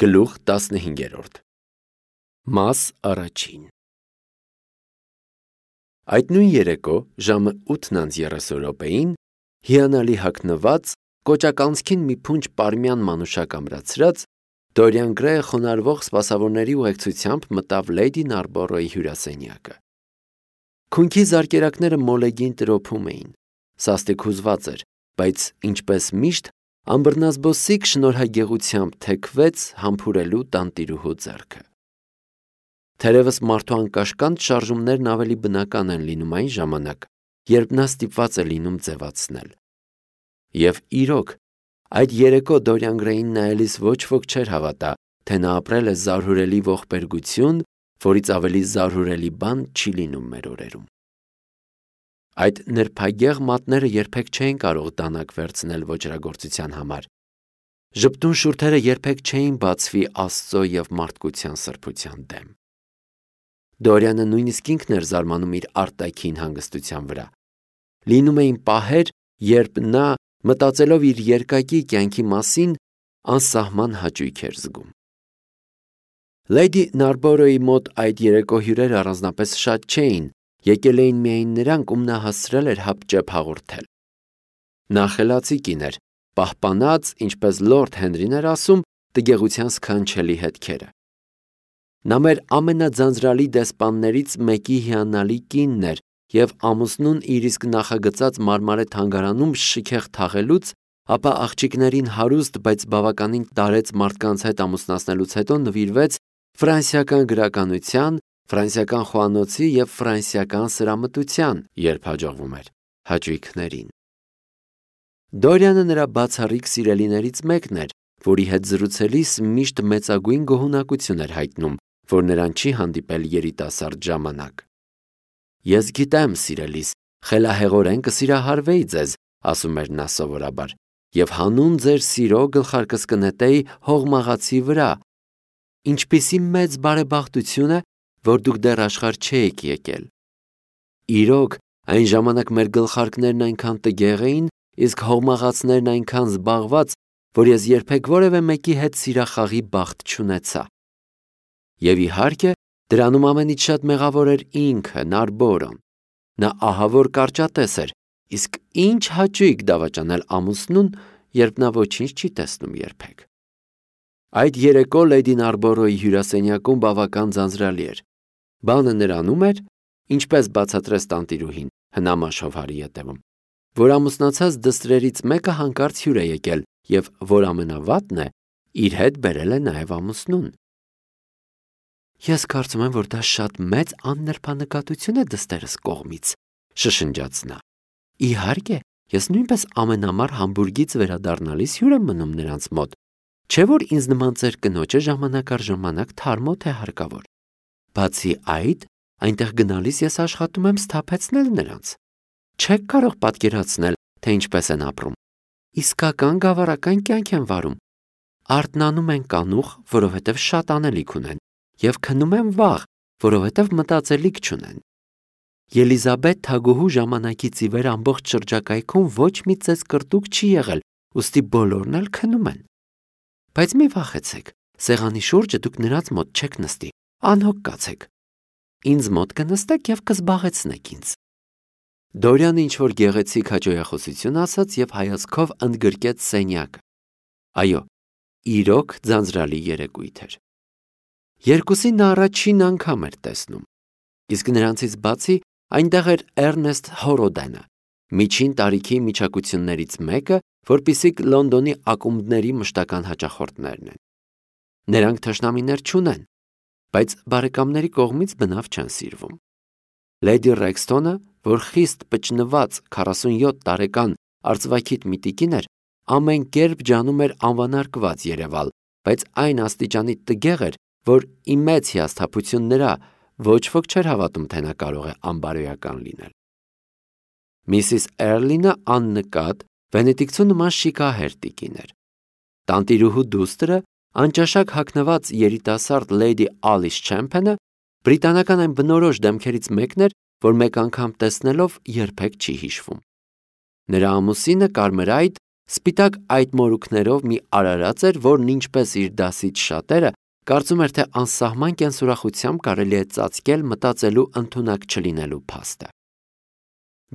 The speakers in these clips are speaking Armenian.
Գլուխ 15 Մաս առաջին Այդ նույն երեկո ժամը 8:30 հիանալի հագնված, կոճականցքին մի փունջ պարմյան մանուշակ ամրացրած, Դորիան Գրեյը խոնարհվող սպասավորների ուղեկցությամբ մտավ Լեյդի Նարբորոյի հյուրասենյակը։ Քունքի զարկերակները մոլեգին տրոփում էին, սաստիկ հուզված էր, բայց ինչպես միշտ ամբռնազբոսիկ շնորհագեղությամբ թեքվեց համբուրելու տանտիրուհու ձեռքը։ Թերևս մարդու անկաշկանդ շարժումներն ավելի բնական են լինում այն ժամանակ, երբ նա ստիպված է լինում ձևացնել։ Եվ իրոք, այդ երեկո Դորիան Գրեյին նայելիս ոչ ոք չէր հավատա, թե նա ապրել է զարհուրելի ողբերգություն, որից ավելի զարհուրելի բան չի լինում մեր օրերում։ Այդ նրբագեղ մատները երբեք չէին կարող դանակ վերցնել ոճրագործության համար։ Ժպտուն շուրթերը երբեք չէին բացվի Աստծո և մարդկության սրբության դեմ։ Դորիանը նույնիսկ ինքն էր զարմանում իր արտաքին հանգստության վրա։ Լինում էին պահեր, երբ նա, մտածելով իր երկակի կյանքի մասին, անսահման հաճույք էր զգում։ Լեյդի Նարբորոյի մոտ այդ երեկո հյուրերը առանձնապես շատ չէին, եկել էին միայն նրանք, ում նա հասցրել էր հապճեպ հաղորդել։ Նա խելացի կին էր, պահպանած, ինչպես Լորդ Հենրին էր ասում, տգեղության սքանչելի հետքերը։ Նա մեր ամենաձանձրալի դեսպաններից մեկի հիանալի կինն էր և ամուսնուն իր իսկ նախագծած մարմարե թանգարանում շքեղ թաղելուց, ապա աղջիկներին հարուստ, բայց բավականին տարեց մարդկանց հետ ամուսնացնելուց հետո նվիրվեց ֆրանսիական գրականության, ֆրանսիական խոհանոցի և ֆրանսիական սրամտության, երբ հաջողվում էր, հաճույքներին։ Դորիանը նրա բացառիկ սիրելիներից մեկն էր, որի հետ զրուցելիս միշտ մեծագույն գոհունակություն էր հայտնում, որ նրան չի հանդիպել երիտասարդ ժամանակ։ Ես գիտեմ, սիրելիս, խելահեղորեն կսիրահարվեի ձեզ, ասում էր նա սովորաբար, և հանուն ձեր սիրո գլխարկս կնետեի հողմաղացի վրա։ Ինչպիսի մեծ բարեբախտություն է, որ դուք դեռ աշխարհ չէիք եկել։ Իրոք, այն ժամանակ մեր գլխարկներն այնքան տգեղ էին, իսկ հողմաղացներն այնքան զբաղված, որ ես երբեք որևէ մեկի հետ սիրախաղի բախտ չունեցա։ Եվ իհարկե, դրանում ամենից շատ մեղավոր էր ինքը, Նարբորոն։ Նա ահավոր կարճատես էր, իսկ ինչ հաճույք դավաճանել ամուսնուն, երբ նա ոչինչ չի տեսնում երբեք։ Այդ երեկո Լեյդի Նարբորոյի հյուրասենյակում բավական ձանձրալի էր։ Բանը նրանում էր, ինչպես բացատրեց տանտիրուհին, հնամաշ ետևում, որ ամուսնացած դստրերից մեկը հանկարծ հյուր է եկել և, որ ամենավատն է, իր հետ բերել է նաև ամուսնուն։ Ես կարծում եմ, որ դա շատ մեծ աննրբանկատություն է դստերս կողմից, շշնջաց նա։ Իհարկե, ես նույնպես ամենամառ Համբուրգից վերադառնալիս հյուր եմ մնում նրանց մոտ, չէ՞ որ ինձ նման ձեր կնոջը ժամանակ առ ժամանակ թարմոթ է հարկավոր։ Բացի այդ, այնտեղ գնալիս ես աշխատում եմ սթափեցնել նրանց։ Չեք կարող պատկերացնել, թե ինչպես են ապրում։ Իսկական գավառական կյանք են վարում։ Արթնանում են կանուխ, որովհետև շատ անելիք ունեն, և քնում են վաղ, որովհետև մտածելիք չունեն։ Ելիզաբեթ թագուհու ժամանակից ի վեր ամբողջ շրջակայքում ոչ մի ծեծ կրտուկ չի եղել, ուստի բոլորն էլ քնում են։ Բայց մի վախեցեք, սեղանի շուրջը դուք նրանց մոտ չեք նստի, անհոգ կացեք։ Ինձ մոտ կնստեք և կզբաղեցնեք ինձ։ Դորիանը ինչ-որ գեղեցիկ հաճոյախոսություն ասաց և հայացքով ընդգրկեց սենյակը։ Այո, իրոք ձանձրալի երեկույթ էր։ Երկուսին նա առաջին անգամ էր տեսնում։ Իսկ նրանցից բացի այնտեղ էր Էրնեստ Հորոդենը, միջին տարիքի միջակություններից մեկը, որպիսիք Լոնդոնի ակումբների մշտական հաճախորդներն են։ Նրանք թշնամիներ չունեն, բայց բարեկամների կողմից բնավ չեն սիրվում։ Լեյդի Ռեքսթոնը, որ խիստ պճնված 47 տարեկան արծվաքիթ մի տիկին էր, ամեն կերպ ջանում էր անվանարկված երևալ, բայց այն աստիճանի տգեղ էր, որ ի մեծ հիասթափություն նրա, ոչ ոք չէր հավատում, թե նա կարող է անբարոյական լինել։ Միսիս Էրլինը աննկատ, վենետիկցու նման շիկահեր տիկին էր։ Տանտիրուհու դուստրը, անճաշակ հագնված երիտասարդ Լեյդի Ալիս Չեմփենը, բրիտանական այն բնորոշ դեմքերից մեկն էր, որ մեկ անգամ տեսնելով երբեք չի հիշվում։ Նրա ամուսինը կարմրայտ, Սպիտակ այդ մորուքներով մի արարած էր, որն ինչպես իր դասից շատերը կարծում էր, թե անսահման կենսուրախությամբ կարելի է ծածկել մտածելու ընդունակ չլինելու փաստը։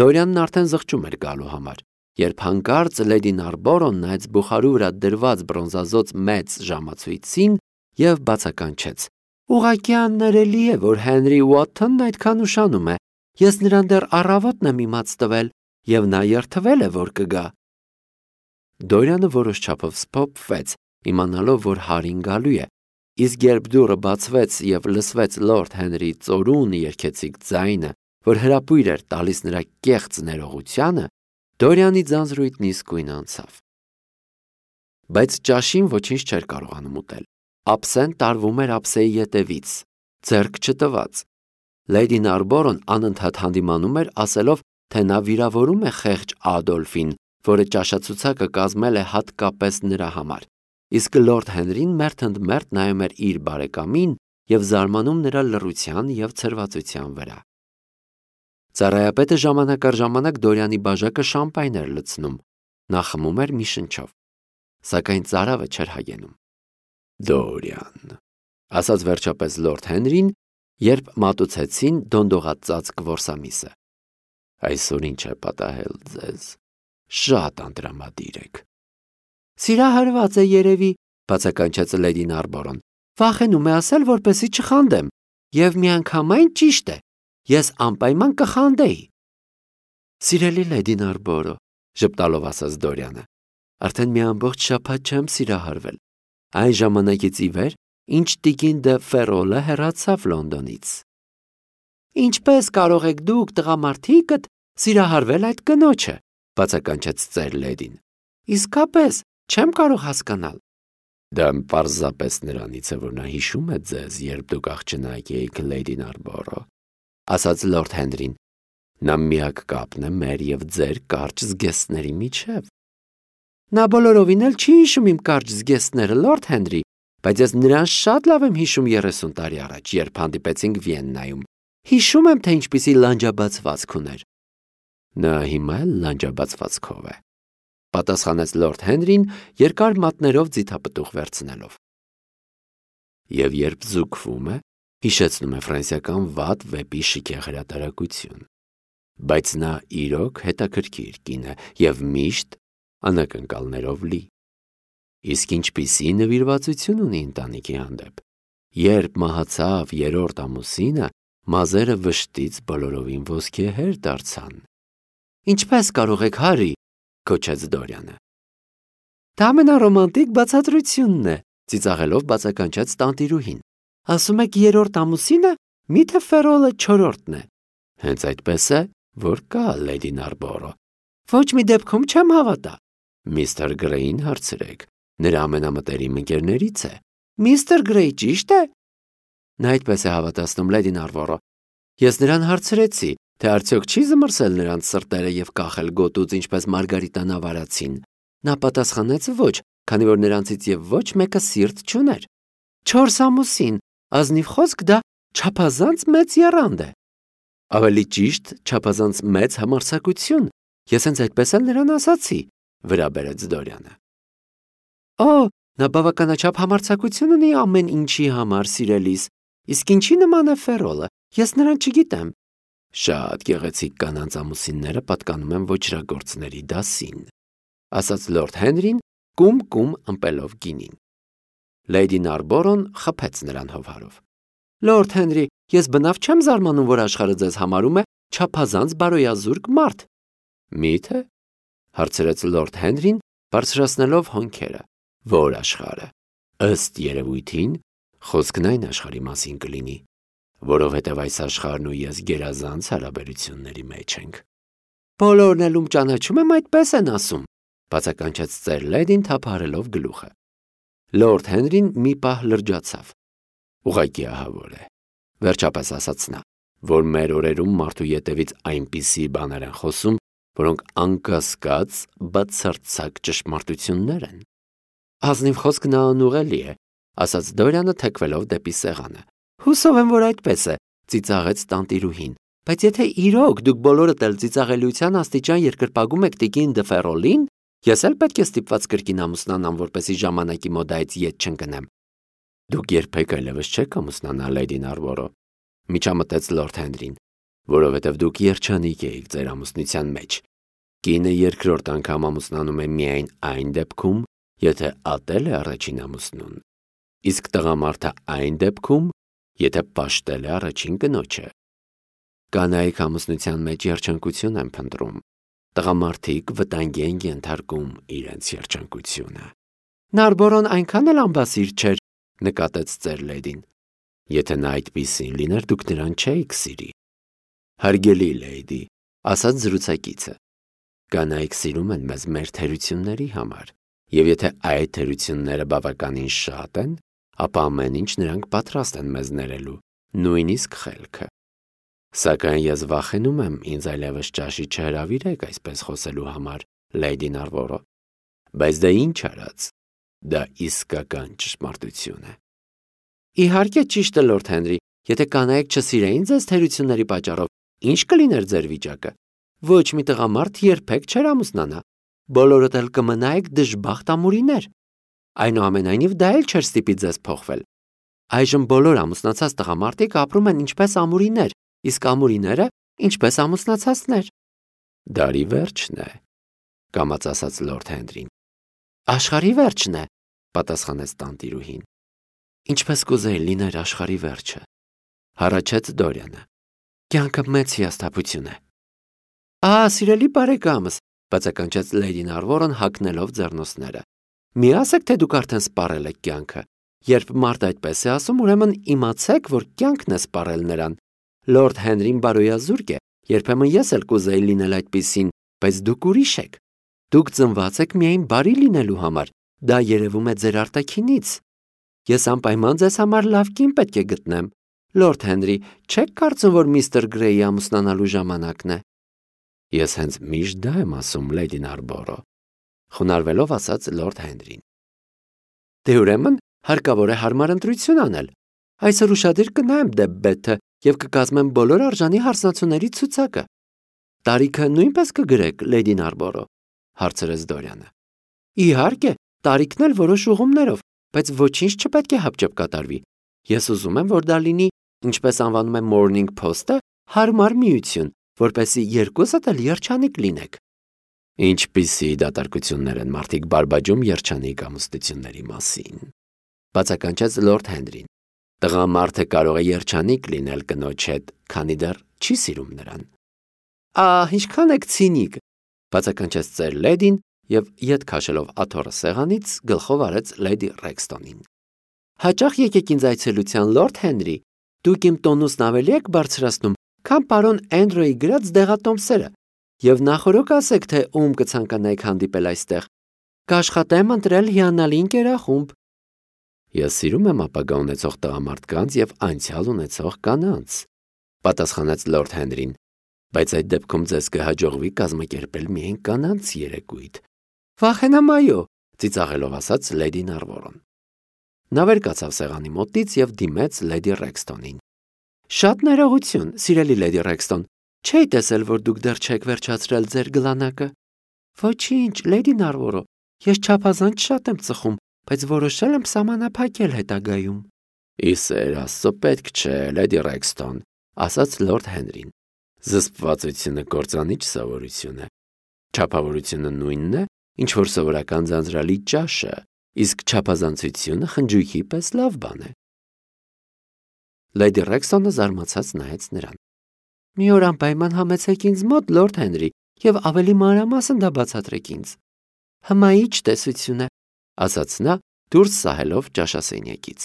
Դորյանն արդեն զղջում էր գալու համար, երբ հանկարծ լեդի Նարբորոն նայեց բուխարու վրա դրված բրոնզազոծ մեծ ժամացույցին եւ բացականչեց. «Ուղղակի աններելի է, որ Հենրի Ուոթթոնն այդքան ուշանում է։ Ես նրան դեռ առավոտն եմ իմաց տվել, եւ նա երթվել է, որ կգա»։ Դորյանը որոշ չափով սփոփվեց, իմանալով, որ Հարին գալու է, իսկ երբ դուռը բացվեց եւ լսվեց լորդ Հենրի ծորուն երգեցիկ ձայնը, որ հրապույր էր տալիս նրա կեղծ ներողությանը, Դորյանի ձանձրույթն իսկույն անցավ։ Բայց ճաշին ոչինչ չէր կարողանում ուտել։ Ափսեն տարվում էր ափսեի ետևից, ձեռք չտված։ Լեդի Նարբորոն անընդհատ հանդիմանում էր, ասելով, թե նա վիրավորում է խեղճ Ադոլֆին, որը ճաշացուցակը կազմել է հատկապես նրա համար, իսկ լորդ Հենրին մերթընդմերթ նայում էր իր բարեկամին եւ զարմանում նրա լռության եւ ցրվածության վրա։ Ծառայապետը ժամանակ առ ժամանակ Դորյանի բաժակը շամպայն էր լցնում, նա խմում էր մի շնչով, սակայն ծարավը չէր հայենում։ «Դորյան», ասաց վերջապես լորդ Հենրին, երբ մատուցեցին դոնդողածածկ որսամիսը, «այսօր ինչ է պատահել ձեզ, շատ անտրամադիր եք»։ «Սիրահարված է երևի», բացականչեց լեդի Նարբորոն, «վախենում է ասել, որպեսզի չխանդեմ, եւ միանգամայն ճիշտ է, ես անպայման կխանդեի»։ «Սիրելի լեդի Նարբորո», ժպտալով ասաց Դորյանը, «արդեն մի ամբողջ շաբաթ չեմ սիրահարվել, այն ժամանակից ի վեր, ինչ տիկին դը Ֆերոլը հեռացավ Լոնդոնից»։ «Ինչպես կարող եք դուք տղամարդիկդ սիրահարվել այդ կնոջը», բացականչեց ծեր լեդին։ «Իսկապես չեմ կարող հասկանալ»։ «Դա պարզապես նրանից է, որ նա հիշում է ձեզ, երբ դուք աղջնակ էիք, լեդի Նարբորո», ասաց լորդ Հենրին։ «Նա միակ կապն է մեր եւ ձեր կարճ զգեստների միջև»։ «Նա բոլորովին էլ չի հիշում իմ կարճ զգեստները, լորդ Հենրի, բայց ես նրան շատ լավ եմ հիշում 30 տարի առաջ, երբ հանդիպեցինք Վիեննայում։ Հիշում եմ, թե ինչպիսի լանջաբացվածք ուներ»։ «Նա հիմա էլ լանջաբացվածքով է», պատասխանեց լորդ Հենրին, երկար մատներով ձիթապտուղ վերցնելով։ «Եվ երբ զուգվում է, հիշեցնում է ֆրանսիական վատ վեպի շքեղ հրատարակություն, բայց նա իրոք հետաքրքիր կին է եւ միշտ անակնկալներով լի։ Իսկ ինչպիսի նվիրվածություն ունի ընտանիքի հանդեպ։ Երբ մահացավ 3-րդ ամուսինը, մազերը վշտից բոլորովին ոսկեհեր դարձան»։ «Ինչպես կարող եք, Հարի», գոչեց Դորյանը։ «Դա ամենառոմանտիկ բացատրությունն է», ծիծաղելով բացականչեց տանտիրուհին։ «Ասում եք 3-րդ ամուսինը, միթե Ֆերոլը 4-րդն է»։ «Հենց այդպես է, որ կա, լեդի Նարբորո»։ «Ոչ մի դեպքում չեմ հավատա»։ «Միստր Գրեյին հարցրեք, նրա ամենամտերիմ ընկերներից է»։ «Միստր Գրեյ, ճիշտ է»։ «Նա այդպես է հավատացնում, լեդի Նարբորո։ Ես նրան հարցրեցի, թե արդյոք չի զմռսել նրանց սրտերը եւ կախել գոտուց, ինչպես Մարգարիտան ավարացին։ Նա պատասխանեց ոչ, քանի որ նրանցից եւ ոչ մեկը սիրտ չուներ։ 4 ամուսին, ազնիվ խոսք, դա չափազանց մեծ եռանդ է»։ «Ավելի ճիշտ, չափազանց մեծ համարձակություն։ Ես հենց այդպես էլ նրան ասացի», վրա բերեց Դորյանը։ «Օ, նա բավականաչափ համարձակություն ունի ամեն ինչի համար, սիրելիս, իսկ ինչի նման է Ֆերոլը, ես նրան չգիտեմ»։ «Շատ գեղեցիկ կանանց ամուսինները պատկանում են ոճրագործների դասին», ասաց լորդ Հենրին, կում ըմպելով գինին։ Լեդի Նարբորոն խփեց նրան հովհարով։ «Լորդ Հենրի, ես բնավ չեմ զարմանում, որ աշխարհը ձեզ համարում է չափազանց բարոյազուրկ մարդ»։ «Մի՞թե», հարցրեց լորդ Հենրին, բարձրացնելով հոնքերը։ «Որ աշխարհը։ Ըստ երևույթին, խոսքն այն աշխարհի մասին կլինի, որովհետև այս աշխարհն ու ես գերազանց հարաբերությունների մեջ ենք»։ «Բոլորն էլ ում ճանաչում եմ, այդպես են ասում», բացականչեց ծեր լեդին թափահարելով գլուխը։ Լորդ Հենրին մի պահ լրջացավ։ «Ուղղակի ահավոր է», վերջապես ասաց նա, «որ մեր օրերում մարդու ետևից այնպիսի բաներ են խոսում, որոնք անկասկած բացարձակ ճշմարտություններ են»։ «Ազնիվ խոսք նա անուղելի է», ասաց Դորյանը թեքվելով դեպի սեղանը։ «Հուսով եմ, որ այդպես է», ծիծաղեց տանտիրուհին։ «Բայց եթե իրոք դուք բոլորդ էլ ծիծաղելիության աստիճան երկրպագում եք տիկին դը Ֆերոլին, Ես էլ պետք է ստիպված կրկին ամուսնանամ, որպեսզի ժամանակի մոդայից ետ չընկնեմ։ Դուք երբեք այլևս չեք ամուսնանա, Լեյդի Նարբորո, միջամտեց Լորդ Հենրին, որովհետև դուք երջանիկ էիք ձեր ամուսնության մեջ։ Կինը երկրորդ անգամ ամուսնանում է միայն այն դեպքում, եթե ատել է առաջին ամուսնուն, իսկ տղամարդը այն դեպքում, եթե պաշտել է առաջին կնոջը։ Կանայք ամուսնության մեջ երջանկություն են փնտրում, տղամարդիկ վտանգի են ենթարկում իրենց երջանկությունը։ Նարբորոն այնքան էլ ամբասիր չէր, նկատեց ծեր Լեյդին։ Եթե նա այդպիսին լիներ, դուք նրան չէիք սիրի։ Հարգելի Լեյդի, ասաց զրուցակիցը, կանայք սիրում են մեզ մեր թերությունների համար, եւ եթե այդ թերությունները բավականին շատ են, ապա ամեն ինչ նրանք պատրաստ են մեզ ներելու, նույնիսկ խելքը։ Սակայն ես վախենում եմ ինձ այլևս ճաշի չհրավիրեք այսպես խոսելու համար, Լեյդի Նարբորո, բայց դա ինչ արած, դա իսկական ճշմարտություն է։ Իհարկե ճիշտ է, Լորդ Հենրի, եթե կանայք չսիրեին ձեզ թերությունների պատճառով, ինչ կլիներ ձեր վիճակը։ Ոչ մի տղամարդ երբեք չէր ամուսնանա, բոլորդ էլ կմնայիք դժբախտ ամուրիներ։ Այնուամենայնիվ դա էլ չէր ստիպի ձեզ փոխվել։ Այժմ բոլոր ամուսնացած տղամարդիկ ապրում են ինչպես ամուրիներ, իսկ ամուրիները ինչպես ամուսնացածներ։ Դարի վերջն է, կամաց ասաց Լորդ Հենրին։ Աշխարհի վերջն է, պատասխանեց տանտիրուհին։ Ինչպես կուզեի լիներ աշխարհի վերջը, հառաչեց Դորյանը։ Կյանքը մեծ հիասթափություն է։ Ահա, սիրելի բարեկամս, բացականչեց Լեյդի Նարբորոն հագնելով ձեռնոցները։ Մի ասեք, թե դուք արդեն սպառել եք կյանքը։ Երբ մարդ այդպես է ասում, ուրեմն իմացեք, որ կյանքն է սպառել նրան։ Լորդ Հենրին բարոյազուրկ է, երբեմն ես էլ կուզեի լինել այդպիսին, բայց դուք ուրիշ եք։ Դուք ծնված եք միայն բարի լինելու համար, դա երևում է ձեր արտաքինից։ Ես անպայման ձեզ համար լավ կին պետք է գտնեմ։ Լորդ Հենրի, չեք կարծում, որ միստր Գրեյի ամուսնանալու ժամանակն է։ Ես հենց միշտ դա եմ ասում, Լեյդի Նարբորո, խոնարհվելով ասաց Լորդ Հենրին։ Դե ուրեմն հարկավոր է հարմար ընտրություն անել։ Այսօր ուշադիր կնայեմ դեպբեթը եւ կկազմեմ բոլոր արժանի հարսնացուների ցուցակը։ Տարիքը նույնպես կգրեք, Լեյդի Նարբորո, հարցրեց Դորյանը։ Իհարկե, տարիքն էլ որոշ ուղումներով, բայց ոչինչ չպետք է հապճեպ կատարվի։ Ես ուզում եմ, որ դա լինի, ինչպես անվանում է Morning Post-ը, հարմար միություն, որպեսզի երկուսդ էլ երջանիկ լինեք։ Ինչպիսի դատարկություններ են մարդիկ բարբաջում երջանիկ ամուսնությունների մասին, բացականչեց Լորդ Հենրին։ Տղամարդը կարող է երջանիկ լինել կնոջ հետ, քանի դեռ չի սիրում նրան։ Ինչքան եք ցինիկ, բացականչեց ծեր Լեյդին եւ ետ քաշելով աթոռը սեղանից գլխով արեց Լեյդի Ռեքստոնին։ Հաճախ եկեք ինձ այցելության, Լորդ Հենրի, դուք իմ տոնուսն ավելի եք բարձրացնում, քան պարոն Էնդրոյի գրած դեղատոմսերը, եւ նախորոք ասեք, թե ում կցանկանայիք հանդիպել այստեղ։ Կաշխատեմ ընտրել հիանալի ընկերախումբ։ Ես սիրում եմ ապագա ունեցող տղամարդկանց եւ անցյալ ունեցող կանանց, պատասխանեց Լորդ Հենրին, բայց այդ դեպքում ձեզ կհաջողվի կազմակերպել միայն կանանց երեկույթ։ Վախենամ այո, ծիծաղելով ասաց Լեյդի Նարբորոն։ Նա վեր կացավ սեղանի մոտից եւ դիմեց Լեյդի Ռեքստոնին։ Շատ ներողություն, սիրելի Լեյդի Ռեքստոն, չէի տեսել, որ դուք դեռ չեք վերջացրել ձեր գլանակը։ Ոչինչ, Լեյդի Նարբորո, ես չափազանց շատ եմ ծխում, բայց որոշել եմ սահմանափակել հետագայում։ Իսեր Աստծո, պետք չէ, Լեյդի Ռեքստոն, ասաց Լորդ Հենրին։ Զսպվածությունը կործանիչ սովորություն է։ Չափավորությունը նույնն է, ինչ որ սովորական ձանձրալի ճաշը, իսկ չափազանցությունը խնջույքի պես լավ բան է։ Լեյդի Ռեքստոնը զարմացած նայեց նրան։ Մի օր անպայման համեցեք ինձ մոտ, Լորդ Հենրի, եւ ավելի մանրամասն դա բացատրեք ինձ։ Հմայիչ տեսություն է, ասաց նա, դուրս սահելով ճաշասենյակից։